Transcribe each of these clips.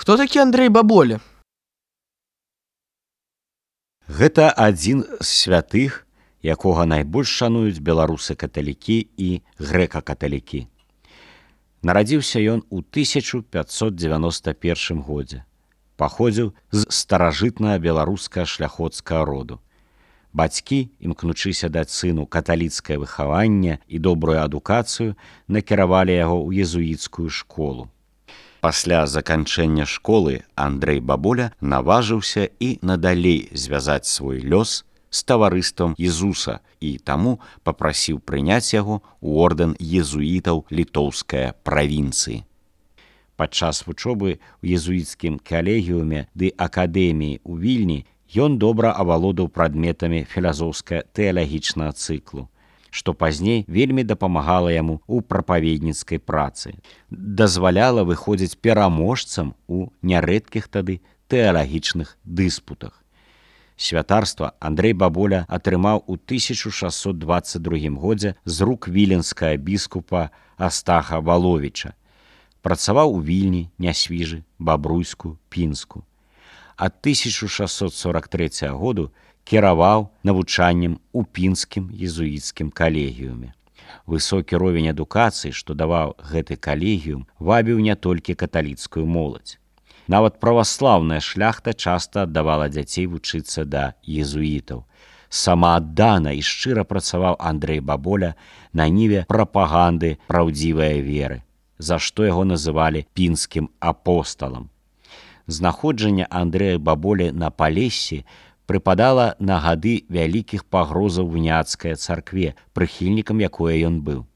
Хто такі Андрэй Баболя? Гэта адзін з святых, якога найбольш шануюць беларусы-каталікі і грэка-каталікі. Нарадзіўся ён у 1591 годзе. Паходзіў з старажытнага беларускага шляхоцкага роду. Бацькі, імкнучыся даць сыну каталіцкае выхаванне і добрую адукацыю, накіравалі яго ў езуіцкую школу. Пасля заканчэння школы Андрэй Баболя наважыўся і надалей звязаць свой лёс з таварыствам Езуса і таму папрасіў прыняць яго ў ордэн езуітаў літоўскай правінцыі. Падчас вучобы ў езуіцкім калегіуме ды акадэміі ў Вільні ён добра авалодаў прадметамі філазофска-тэалагічнага цыклу, што пазней вельмі дапамагала яму ў прапаведніцкай працы, дазваляла выходзіць пераможцам у нярэдкіх тады тэалагічных дыспутах. Святарства Андрэй Баболя атрымаў у 1622 годзе з рук віленскага біскупа Астаха Валовіча. Працаваў у Вільні, Нясвіжы, Бабруйску, Пінску. Ад 1643 году кіраваў навучаннем у пінскім езуіцкім калегіуме. Высокі ровень адукацыі, што даваў гэты калегіум, вабіў не толькі каталіцкую моладзь. Нават праваслаўная шляхта часта аддавала дзяцей вучыцца да езуітаў. Самааддана і шчыра працаваў Андрэй Баболя на ніве прапаганды праўдзівай веры, за што яго называлі пінскім апосталам. Знаходжанне Андрэя Баболі на Палессі прыпадала на гады вялікіх пагрозаў уніяцкай царкве, прыхільнікам якой ён быў.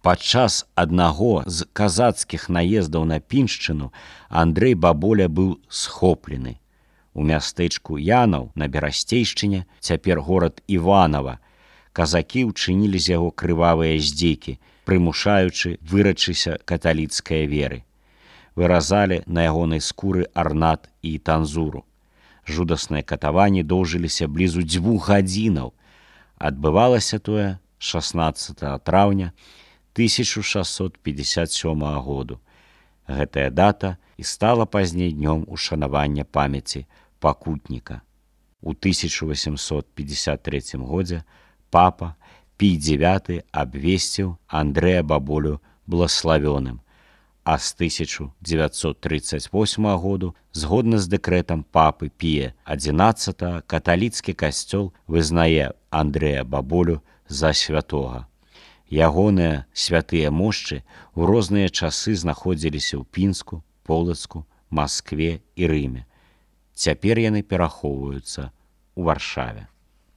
Падчас аднаго з казацкіх наездаў на Піншчыну Андрэй Баболя быў схоплены. У мястэчку Янаў на Берасцейшчыне, цяпер горад Іванава, казакі ўчынілі з яго крывавыя здзекі, прымушаючы вырачыся каталіцкай веры. Выразалі на ягонай скуры арнат і танзуру. Жудасныя катаванні доўжыліся блізу 2 гадзінаў. Адбывалася тое 16 траўня 1657 году. Гэтая дата і стала пазней днём ушанавання памяці пакутніка. У 1853 годзе папа Пій IX абвесціў Андрэя Баболю блаславёным, а з 1938 году, згодна з дэкрэтам папы Пія XI, каталіцкі касцёл вызнае Андрэя Баболю за святога. Ягоныя святыя мошчы ў розныя часы знаходзіліся ў Пінску, Полацку, Маскве і Рыме. Цяпер яны перахоўваюцца ў Варшаве.